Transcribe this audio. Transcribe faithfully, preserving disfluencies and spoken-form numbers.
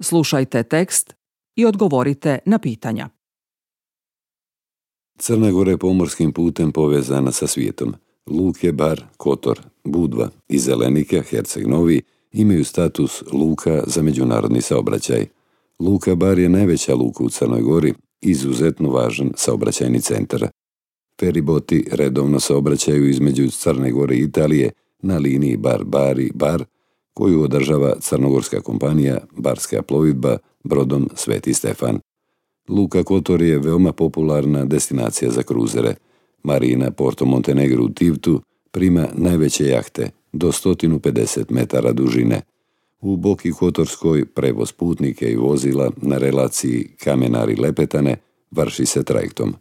Slušajte tekst i odgovorite na pitanja. Crna Gora je pomorskim putem povezana sa svijetom. Luke Bar, Kotor, Budva i Zelenika, Herceg Novi imaju status luka za međunarodni saobraćaj. Luka Bar je najveća luka u Crnoj Gori, izuzetno važan saobraćajni centar. Feriboti redovno saobraćaju između Crne Gore i Italije na liniji Bar-Bari-Bar, koju održava crnogorska kompanija Barska plovidba brodom Sveti Stefan. Luka Kotor je veoma popularna destinacija za kruzere. Marina Porto Montenegro u Tivtu prima najveće jahte do sto pedeset metara dužine. U Boki Kotorskoj prevoz putnike i vozila na relaciji Kamenari-Lepetane vrši se trajektom.